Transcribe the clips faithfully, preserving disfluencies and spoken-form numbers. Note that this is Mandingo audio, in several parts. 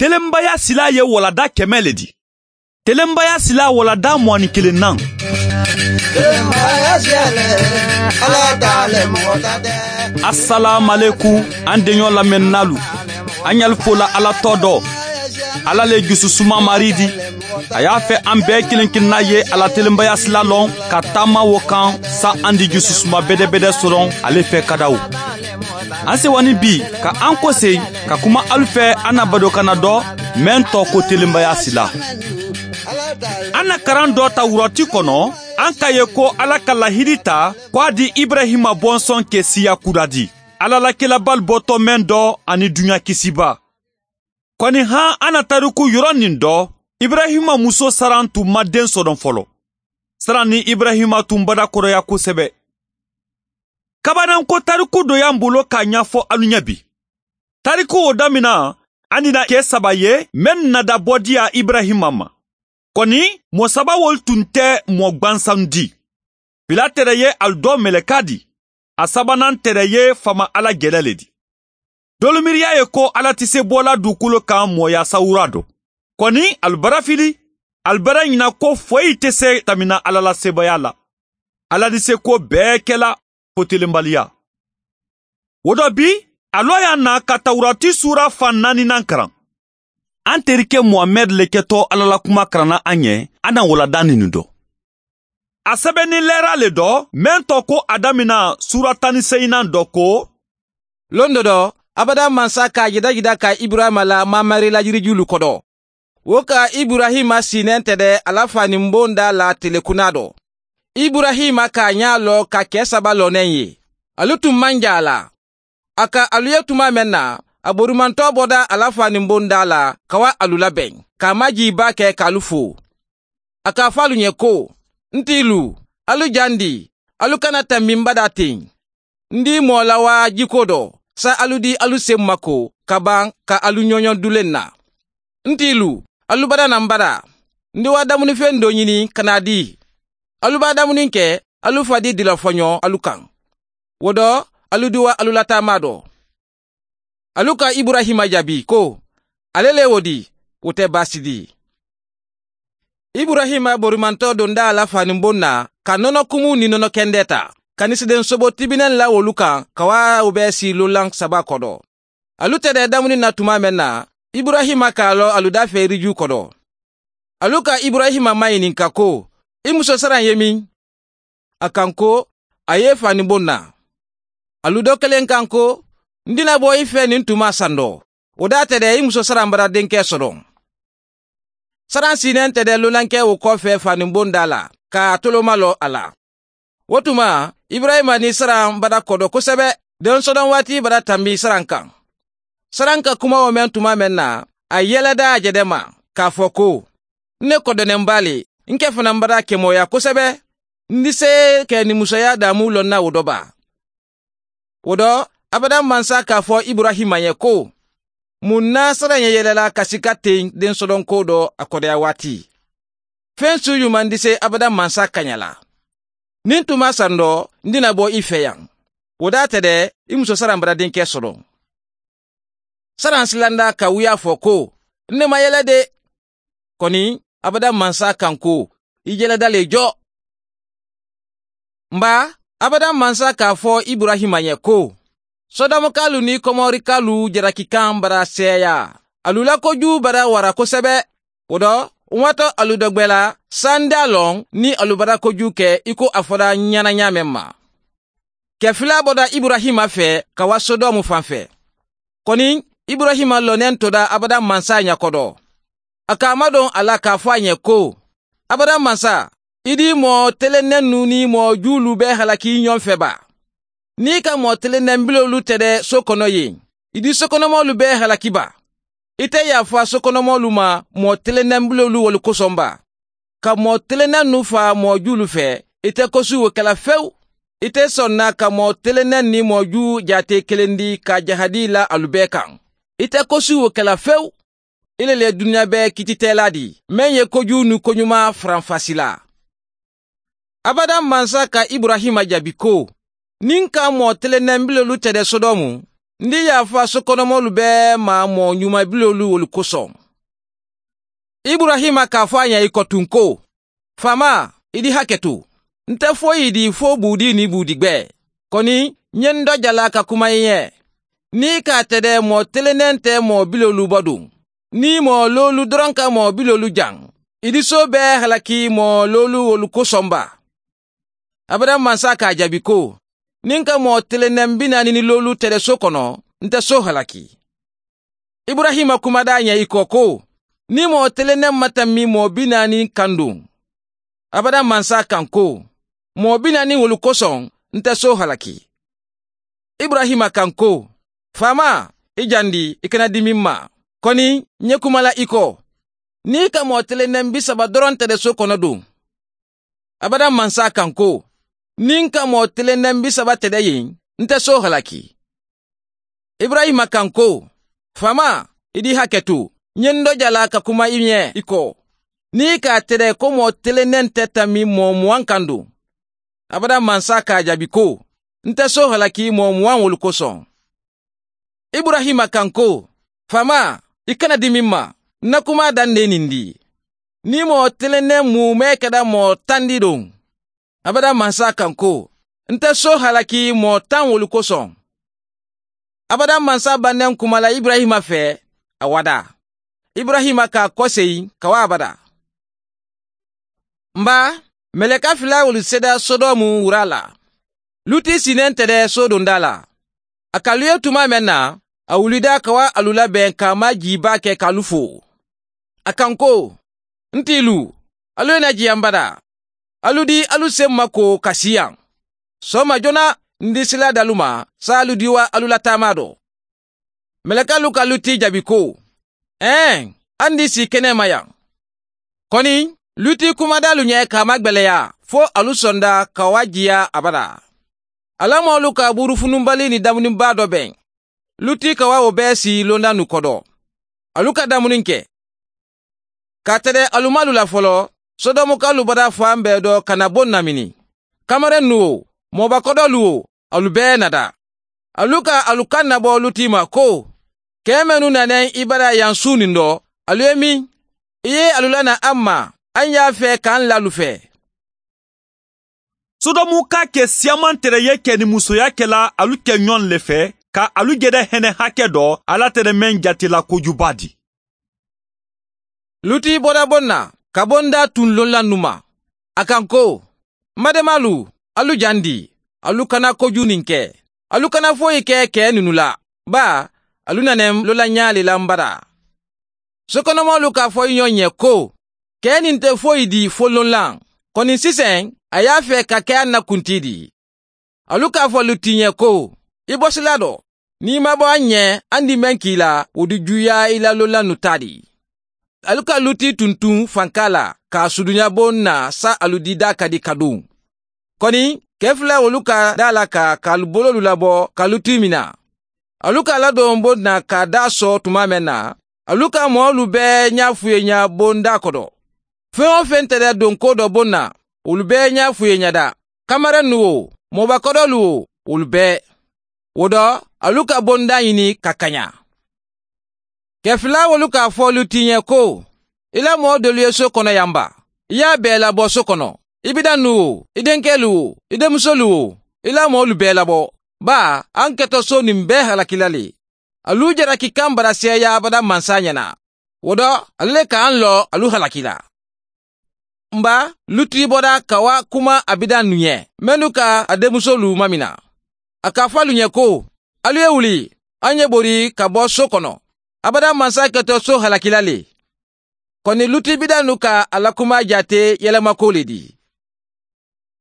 Telenbaya sila ye walada kɛmɛ le di. Telenbaya sila walada muwani kelennan. Asalaamalekum, an deɲɔ lamɛnninaalu. An ɲali fola ala tɔ dɔ. Ala le jususuma mari di. A y'a fɛ an bɛɛ kelen kelenna ye a la telenbaya sila lɔn ka taama wo kan, sa an di jususuma bɛdɛbɛdɛ sɔrɔ ale fɛ kadaw. An sewani bi ka an kose ka kuma alu fɛ an na badokana dɔ, mɛn tɔ ko telenbaya sila. An na karan dɔ ta wurɔti kɔnɔ, an ka ye ko ala ka lahidi ta ko a di ibrahima bɔnsɔn ke siya kura di, ala la kelabali bɔtɔ mɛn dɔ ani duɲa kisiba. Kɔni han an na tariku yɔrɔ nin dɔ, ibrahima muso saran tun ma den sɔrɔ fɔlɔ. Saran ni ibrahima tun badakɔrɔya kosɛbɛ. Kabananko tariku dɔ y'an bolo k'a ɲɛfɔ alu ɲɛ bi. Tariku o damina, an dina ke saba ye mɛn nadabɔ diya ibrahima ma. Kɔni, mɔɔ saba wolu tun tɛ mɔɔ gwansan di. Fila tere ye alu dɔ mɛlɛka di. A sabanan tere ye faama ala gɛlɛ le di. Dolu miiriya ye ko ala tɛ se bɔla dugukolo kan mɔɔya sawura dɔ. Kɔni, alu bara fili, alu bara ɲina ko foyi tɛ se tamina ala la sebaya la. Ala ni se ko bɛɛ kɛla fo telenbaliya. Wo dɔ bi, a lɔ y'a na ka tawurati sura fan naaninan karan. An terikɛ muhamɛd le kɛtɔ ala la kuma karanna an ɲɛ, an na walada nin dɔ. A sɛbɛnni lɛra le dɔ, mɛn tɔ ko a damina sura tan ni seyinan dɔ ko. Londo dɔ, abada mansa ka jidajida ka ibrahima la mamari la yirijulu kɔdɔ. Wo ka ibrahima sinɛ tɛdɛ ala fa nin bon da la telekuna dɔ. Ibrahima ka ɲa lɔ ka kɛ saba lɔnɛ ye. Alu tun man ja a la. A ka alu ye tuma mɛn na, a borimantɔ bɔda ala fa nin bon da la ka wa alu labɛn, k'a maji ba kɛ k'alu fo. A k'a fɔ alu ɲɛ ko, n ti lu, alu jan di, alu kana tanbi n bada ten. N di mɔɔ la waa jiko dɔ, sa alu di alu sen mako ka ban ka alu ɲɔɲɔ dulen na. N ti lu, alu bada na n bada. N di waa damunifen do ɲini ka na di. Alu baa damuni kɛ, alu fa di dilafɔɲɔ alu kan. Wo dɔ, alu di waa alu lataama dɔ. Alu ka iburahima jaabi ko, ale le wo di, wo tɛ baasi di. Iburahima borimantɔ donda a la faninbon na, ka nɔnɔkumu ni nɔnɔkɛndɛ ta, ka nisiden sobo tibinɛn la wolu kan ka waa wo bɛɛ si lolan saba kɔdɔ. Alu tɛdɛ damuni na tuma mɛn na, iburahima k'a lɔ alu da fɛ iriju kɔdɔ. Alu ka iburahima maɲininka ko, i muso saran ye min? A kan ko, a ye faninbon na. Alu do kelen kan ko, n dina bɔ i fɛ nin tuma sandɔ. Wo da tɛdɛ i muso saran bara denkɛ sɔrɔ. Saran sinɛ tɛdɛ lolankɛ wo kɔfɛ faninbon da la, k'a toloma lɔ a la. Wo tuma, iburahima ni saran bara kɔdɔ kosɛbɛ. Den sɔdɔn waati bara tanbi saran kan. Saran ka kuma wo mɛn tuma mɛn na, a yɛlɛda a jɛdɛ ma, k'a fɔ ko, n ne kɔdɔnɛnba le, n kɛ fana n bara kɛmɔya kosɛbɛ. N di se kɛ nin musoya damu lɔnna wo dɔ ba? Wo dɔ, abada mansa k'a fɔ iburahima ye ko, mun na saran ye yɛlɛla ka sika ten den sɔdɔnko dɔ a kɔdɔya waati? Fen su yuman di se abada mansa kaɲa la. Nin tuma sandɔ, n dina bɔ i fɛ yan. Wo da tɛdɛ, i muso saran bara denkɛ sɔrɔ. Saran silanda ka wuya fɔ ko, n ne ma yɛlɛ de. Kɔni, abada mansa kan ko, i yɛlɛda le jɔ. N ba, abada mansa k'a fɔ iburahima ye ko, sɔdɔmukaalu ni kɔmɔrikaalu jarakikan bara sɛɛya. Alu la koju bara wara kosɛbɛ. Wo dɔ, n watɔ alu dɔgbɛ la, sanda lɔn ni alu bara koju kɛ i ko a fɔra ɲana ɲaamɛ ma. Kɛ fila bɔda iburahima fɛ ka wa sodɔmu fan fɛ. Kɔni, iburahima lɔnɛ toda abada mansa ɲa kɔdɔ. A k'a madon a la k'a fɔ a ɲɛ ko, abada mansa, i di mɔɔ telennɛnnu ni mɔɔ juulu bɛ halaki ɲɔgɔn fɛ ba? N'i ka mɔɔ telennɛn bilolu tɛdɛ so kɔnɔ yen, i di sokɔnɔmɔlu bɛ halaki ba? I tɛ yafa sokɔnɔmɔlu ma mɔɔ telennɛn bilolu wolu kosɔn ba? Ka mɔɔ telennɛnnu fa mɔɔ juulu fɛ, i tɛ kosi wo kɛla fewu. I tɛ sɔnna ka mɔɔ telennɛn ni mɔɔ juu jaate kelen di ka jahadi la alu bɛɛ kan. I tɛ kosi wo kɛla fewu. I le le duniɲa bɛɛ kititɛla di, meŋ ye koju ni koɲuman faranfasi la. Abada mansa ka iburahima jaabi ko, niŋ ka mɔɔ telennɛn bilolu tɛdɛ sodɔmu, N di yaafa sokonomoolu bee ma moo ñumabiloolu wolu kosoŋ. Iburayima ka a fo a ña i ko tuŋ ko, faamaa, i di hake to. Nte foyi di fo buudi niŋ buudigbee. Koni ñe n do jala ka kuma i ye, niŋ i ka a tede moo telendeŋ te moo biloolu bo duŋ, niŋ moo loolu doroŋ ka moo biloolu jaŋ, i di soo bee halaki moo loolu wolu kosoŋ ba? Abadaŋ mansa ka a jaabi ko, niŋ n ka moo telendeŋ bi naani ni loolu tede soo kono, nte soo halaki. Iburayima kuma da a ñe i ko ko, niŋ moo telendeŋ ma tammi moo bi naani kaŋ duŋ? Abadaŋ mansa kaŋ ko, moo bi naani wolu kosoŋ, nte soo halaki. Iburayima kaŋ ko, faamaa, i jandi, i kana dimi m ma. Koni ñe kuma la i ko, niŋ i ka moo telendeŋ bisaba doroŋ tede soo kono duŋ? Abadaŋ mansa kaŋ ko, niŋ n ka moo telendeŋ bisaba tede yeŋ, nte soo halaki. Iburayima kaŋ ko, faamaa, i di hake to. Ñe n do jala ka kuma i ye i ko, niŋ i ka a tede ko moo telendeŋ te tammi moo muwaŋ kaŋ duŋ? Abadaŋ mansa ka a jaabi ko, nte soo halaki moo muwaŋ wolu kosoŋ. Iburayima kaŋ ko, faamaa, i kana dimi m ma. N na kumaa daŋ ne nindi, niŋ moo telendeŋ muumee keta moo taŋ di duŋ? Abadaŋ mansa kaŋ ko, nte soo halaki moo taŋ wolu kosoŋ. Abadaŋ mansa bandeŋ kuma la iburayima fee, a wada. Iburayima ka a koseyi ka waa abada. M baa, meleka fila wolu seda sodomu wuraa la. Luti sineŋ tede soodondaa la. A ka alu ye tumaa meŋ na, a wulida ka waa alu la beŋ ka a maa jii baake ka alu fo. A kaŋ ko, n tiilu, alu ye na jiyaŋ badaa. Alu di alu seŋ ma ko ka siyaŋ. Sooma joona, n di sila dalu ma, saalu di waa alu la taamaa do. Melekaalu ka luti jaabi ko, eeŋ, a n di sii keneema yaŋ. Koni luti kumadaalu ñe ka a magbeleyaa fo alu sonda ka waa jiyaa abadaa. A la moolu ka buurufununbali ni damunibaa do beŋ. Luti ka waa wo bee sii londannu kodo. Alu ka damuni ke. Ka a tede alu ma alu la folo, sodomukaalu bota faa mbee do ka na boŋ namini. Kamarennu wo, moobakodoolu wo, alu bee na daa. Alu ka alu kaŋ nabo luti ma ko, kee mennu na neŋ i badaa yaŋ suuniŋ do, alu ye miŋ? I ye alu la na a ma, a n ye a fee ka a n la alu fee. Sodomu ka ke siyamaŋ tere ye ke ni musoya ke la alu ke ñoŋ le fe, ka alu jede hene hake do ala tere meŋ jati la kojubaa di. Luti bota boŋ na ka boŋ daa tuŋ loŋ la numa. A kaŋ ko, mademaalu, alu jandi, alu kana kojuniŋ ke. Alu kana foyi ke kee nunu la, baa alu na neŋ loŋ la ñaali la mbadaa. Sokonomoolu ka a fo i ñoŋ ye ko, kee niŋ te foyi di fo loŋ laŋ. Koni siseŋ a ye a fee ka ke a na kuntii di. Alu ka a fo luti ye ko, i bosilaa do, niŋ i ma bo a ñe, a n di meŋ ke i la wo di juuyaa i la loŋ la nu taa di. Alu ka luti tuntuŋ fankaa la ka a suduña boŋ na sa alu di daa kadi kaduŋ. Koni kee fula wolu ka daa la ka ka alu boloolu labo ka luti mina. Alu ka a ladoŋ boŋ na ka a daa soo tumaa meŋ na, alu ka moolu bee ñaafuyeeña boŋ daa kodo. Feŋ-wo-feŋ te daa donkoo do boŋ na, wolu bee ñaafuyeeña daa, kamarennu wo, moobakodoolu wo, wolu bee. Wo do, alu ka boŋ daa ñini ka kaña. Kee fula wolu ka a fo luti ye ko, i la moo doolu ye soo kono yamba, i ye a bee labo soo kono, i bidannu wo, i denkeelu wo, i denmusoolu wo, i la moolu bee labo, baa a n keto soo niŋ bee halaki la le. Alu jaraki kaŋ barasiyeeyaa abada mansa ñana. Wo do, alu le ka a n loo alu halaki la. M ba, luti bota ka waa kuma a bidannu ye mennu ka a denmusoolu mamina. A ka a fo alu ye ko, alu ye wuli, a n ye bori ka bo soo kono. Abada mansa keto soo halaki la le. Koni luti bidannu ka a la kumaa jaate yelemako le di.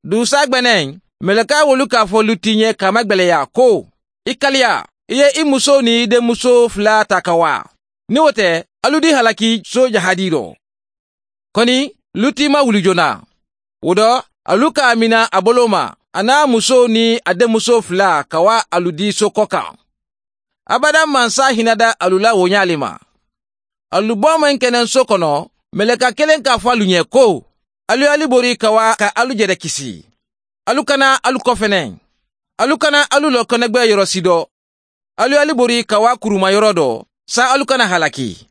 Duusaa gbeneŋ, melekaa wolu ka a fo luti ye ka a magbeleyaa ko, i kaliya, i ye i musoo niŋ i denmusoo fula taa ka waa. Niŋ wo te, alu di halaki soo jahadii do. Koni luti ma wuli joona. Wo do, alu ka a mina a boloo ma, a niŋ a musoo niŋ a denmusoo fula ka waa alu di soo ko kaŋ. Abada mansa hinada alu la wo ñaa le ma. Alu boo meŋ ke neŋ soo kono, meleka keleŋ ka a fo alu ye ko, alu ye alu bori ka waa ka alu jede kisi. Alu kana alu kofeneŋ. Alu kana alu loo konegbee yoro si do. ali ye ali bori ka waa kurumayoroo doo saa ali kana halaki.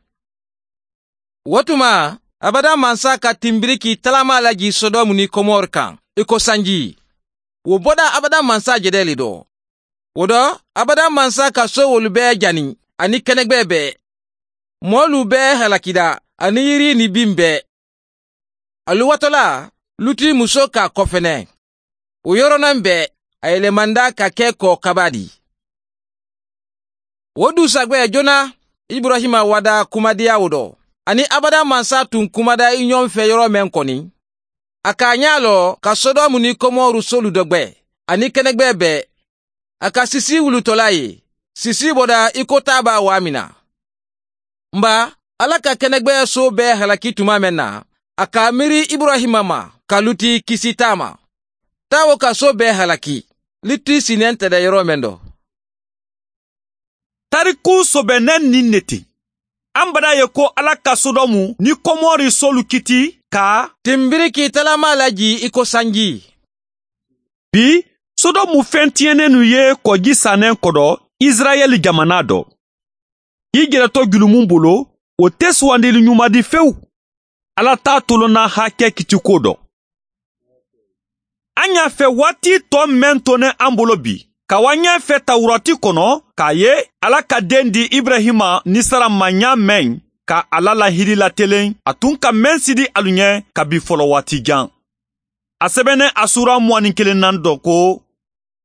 Wo tuma, abada mansa ka tinbiriki talamaa la jii sodomu niŋ komori kaŋ i ko sanji. Wo bodaa abada mansa jedee le doo. Wo do, abada mansa ka soowolu bee jani aniŋ kenegbee bee. Moolu bee halakida aniŋ yiri niŋ biŋ bee. Aluwatolaa luti musoo ka a kofene. Wo yoronaŋ bee a yelemanda ka ke koo kabaa di. Wo duusagbe joona, iburahima wada kumadiya wo do. Aniŋ abada mansa tun kumada i ñoŋ fe yoroo meŋ koni, a ka a ñaa loo ka sodomu niŋ komoru solu dogbe aniŋ kenegbee bee. A ka sisii wulutolaa ye sisii boda i ko taabaa waamina. Mba, alla ka kenegbee soo bee halaki tumaa meŋ na, a ka a miiri iburahima ma ka luti kisi taama. Taawo ka soo bee halaki luti si nente de yoroo meŋ do. Tarikuu sobe neŋ niŋ ne ti. An badaa ye ko alla ka sodomu niŋ komori solu kiti ka tinbiriki talamaa la jii i ko sanji. Bi, sodomu feŋ tiyenenu ye kɔji saneŋ kodo isirayeli jamanaa do. I jeletɔ julumu bolo, wo te suwandili ɲumadi fewu. Alla taa tolonna hakke kitiko do. An ɲa fe waati tɔ meŋ to ne an bolo bi, ka wa ɲa fe tawurati kono k'a ye alla ka den di iburahima ni sara ma ɲa meŋ, ka a la lahidi lateleŋ a tun ka meŋ sidi alu ɲe kabi folo waati jan. A sebennen a suura muwani kelen nan dɔ ko,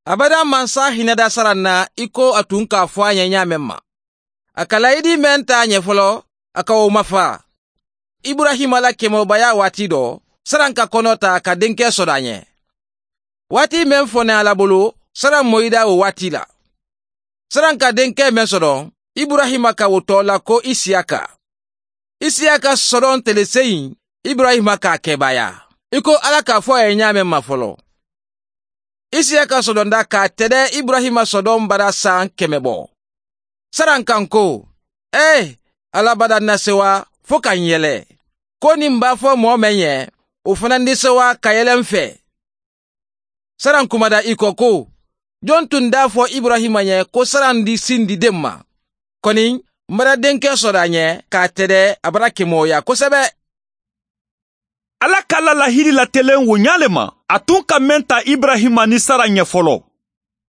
abada mansa hinɛda sara na i ko a tun k'a fo a ɲe ɲa meŋ ma. A ka layidi meŋ ta a ɲe folo, a ka wo mafa. Iburahima la kemobaya waati do, saraŋ ka kono ta ka denke sodo a ɲe. Waati meŋ fo ne a la bulu, saraŋ moyida wo waati la. Saraŋ ka denke meŋ sodo, iburahima ka wo to la ko isiyaka. Isiyaka sodoŋ tele seyiŋ, iburahima ka a kebaaya i ko alla ka a fo a ye ɲa meŋ ma folo. Isiyaka sodonda ka a tede iburahima sodoŋ bada saŋ keme bo. Saraŋ ka n ko, ee, alla bada n na sewa fo ka n yele, ko niŋ m be a fo moo meŋ ye, wo fanandi sewa ka yele m fee. Saraŋ kumada i ko ko, joŋ tun da a fo iburahima ye ko saraŋ di sindi deŋ ma? Koni, m bada denke soda ɲe ka a tede a bada kemooya kosebe. Alla ka a la lahidi lateleŋ wo ɲaa le ma, a tun ka meŋ ta iburahima ni sara ɲe folo.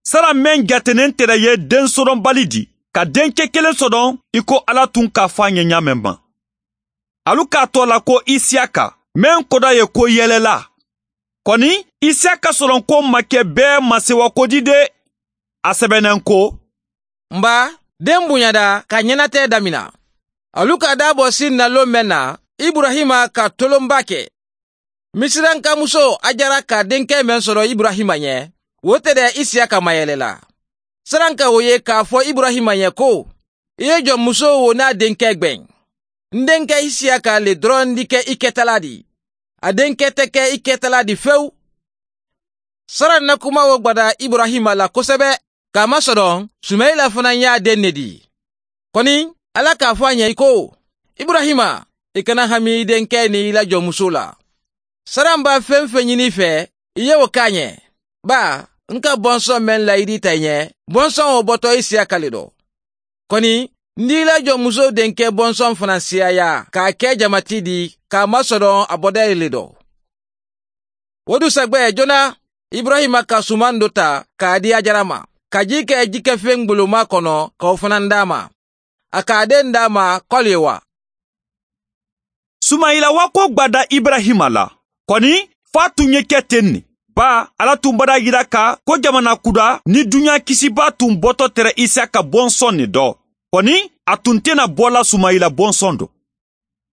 Sara meŋ jateneŋ tera ye den sodonbali di, ka denke keleŋ sodon i ko alla tun ka a fo a ɲe ɲa meŋ ma. Alu ka a to a la ko isiyaka, meŋ koda ye ko yelela. Koni, isiyaka sodonko ma ke bee masewakodi de. A sebeneŋ ko, m ba, den buɲada ka ɲenatee damina. Alu ka a daabo sin na loŋ meŋ na, iburahima ka tolonba ke. Misiranka musoo hajara ka denke meŋ soto iburahima ɲe, wo te de isiyaka mayele la. Saraŋ ka wo ye ka a fo iburahima ɲe ko, i ye joŋ musoo wo niŋ a denke gbeŋ? N denke isiyaka le doroŋ di ke i ketalaa di. A denke te ke i ketalaa di fewu. Saraŋ na kuma wo gbada iburahima la kosebe. Ka a masodoŋ, sumayila fanaa ye a deŋ ne dii. Koni, alla ka a fo a ɲe i ko, iburahima, i kana hami i denke niŋ i la joŋ musoo la. Saraŋ be a feŋ-feŋ ɲini i fee, i ye wo ke a ɲe. Baa, n ka bonsoŋ meŋ layidita i ɲe, bonsoŋ wo boto isiyaka le do. Koni, n di i la joŋ musoo denke bonsoŋ fanaa siyaaya ka a ke jama ti di, ka a masodoŋ a bodee le do. Wo duusagbe joona, iburahima ka sumaŋ do taa ka a di hajara ma, ka jii ke jikefeŋ gboloma kono ka wo fanaa daa a ma. A ka a deŋ daa a ma koli ye wa? Sumayila waakoo gbada iburahima la. Koni, fo a tun ye ke teŋ ne. Baa, alla tun bada yira ka ko jamana kuda ni duɲa kisibaa tun boto tere isiyaka bonsoŋ ne do. Koni, a tun te na bo la sumayila bonsoŋ do.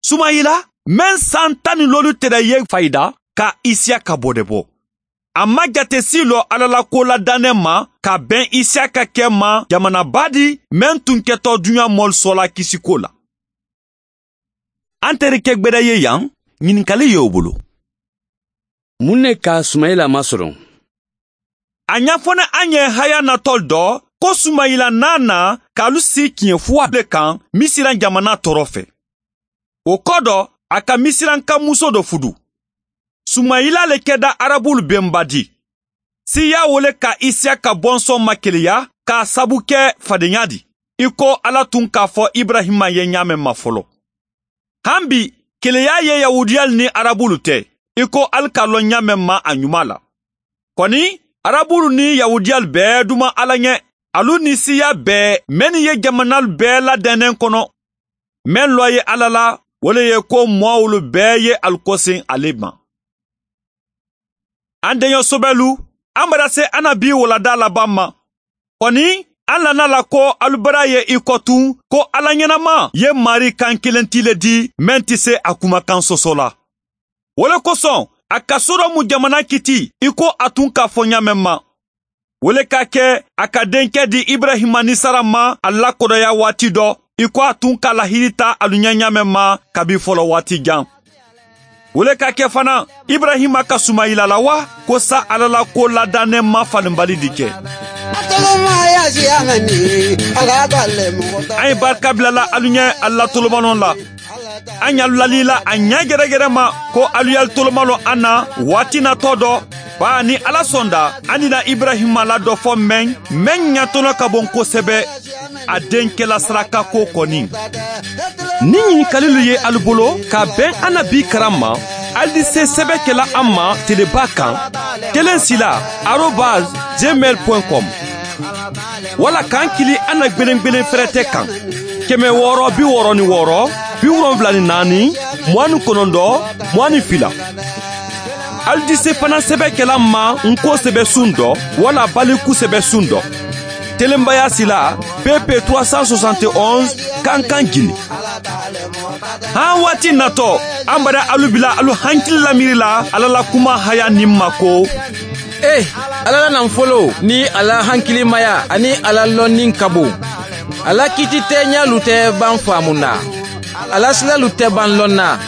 Sumayila, meŋ san tan ni loolu te da ye fayida, ka isiyaka bodebo. A ma jate sii lo alla la ko la daneŋ ma ka beŋ isiyaka ke ma jamana baadi, meŋ tun keto duɲa moolu soola kisiko la. An terike gbeda ye yaŋ, ɲininkali ye wo bulu. Muŋ ne ka sumayila masodoŋ? A ɲafo ne an ye haya natolu do, ko sumayila naana kaalu si kiɲefuwa le kaŋ misira jamana toro fe. Wo kodo, a ka misiranka muso do fudu. Sumayila le keda arabulu benba di. siiyaa wo le ka isiyaka bonsonma keleya k'a sabu ke fadeɲa di, i ko ala tun k'a fo iburahima ye ɲaameŋ ma folo. Han bi, keleya ye yahudiyalu niŋ arabulu te, i ko ali ka loŋ ɲaameŋ ma a ɲumaa la. Koni, arabulu niŋ yahudiyalu bee duman ala ɲe, alu ni siiyaa bee mennu ye jamanaalu bee la deenen kono. Meŋ loo ye ala la, wo le ye ko moowolu bee ye alu koseŋ ale ma. An deɲo sobelu, an bara se an na bii waladaa labaŋ ma. Koni, an lana la ko alu bara ye i ko tun ko ala ɲenama ye maarii kaŋ kiliŋ ti le di meŋ ti se a kumakaŋ soso la. Wo le kosoŋ, a ka sodomu jamana kiti i ko a tun k'a fo ɲaameŋ ma. Wo le ka ke, a ka denkɛ di iburahima ni sara ma a lakodoya waati dɔ, i ko a tun ka lahiri ta alu ɲa ɲaameŋ ma kabi folo waati jan. Wo le ka ke fana, iburahima ka sumayila la wa ko sa ala la ko ladaanenma falenbali di ke? An ye barika bila la alu ɲɛ, ala la tolomalon la. An ye alu lali la a ɲɛ gɛrɛgɛrɛ ma ko alu ye alu tolomalon an na waati natɔ dɔ. Baa ni ala sɔnda, an dina iburahima la dɔ fɔ mɛn, mɛn ɲatɔnɔ ka bon kosɛbɛ a denkɛla sarakako kɔni. Ni ɲininkalilu ye alu bolo ka bɛn an na bi karan ma, alu di se sɛbɛ kɛla an ma teleba kan, kelen sila arobase gmail point com. Wala k'an kili an na gbelengbelen fɛrɛtɛ kan, kɛmɛ wɔɔrɔ bi wɔɔrɔ ni wɔɔrɔ, bi wolonwula ni naani, mugan ni kɔnɔntɔn, mugan ni fila. Alu di se fana sɛbɛ kɛla ma n ko sɛbɛ sun dɔ, wala baliku sɛbɛ sun dɔ. Telenbaya sila, P P trois cent soixante et onze, kankan jini. Han waati natɔ, an bara alu bila alu hankili lamiiri la ala la kuma haya nin ma ko, ee, ala la nanfolo ni a la hankilimaya ani a la lɔnni ka bon. A la kiititɛɲalu tɛ ban faamu na, a la silalu tɛ ban lɔn na.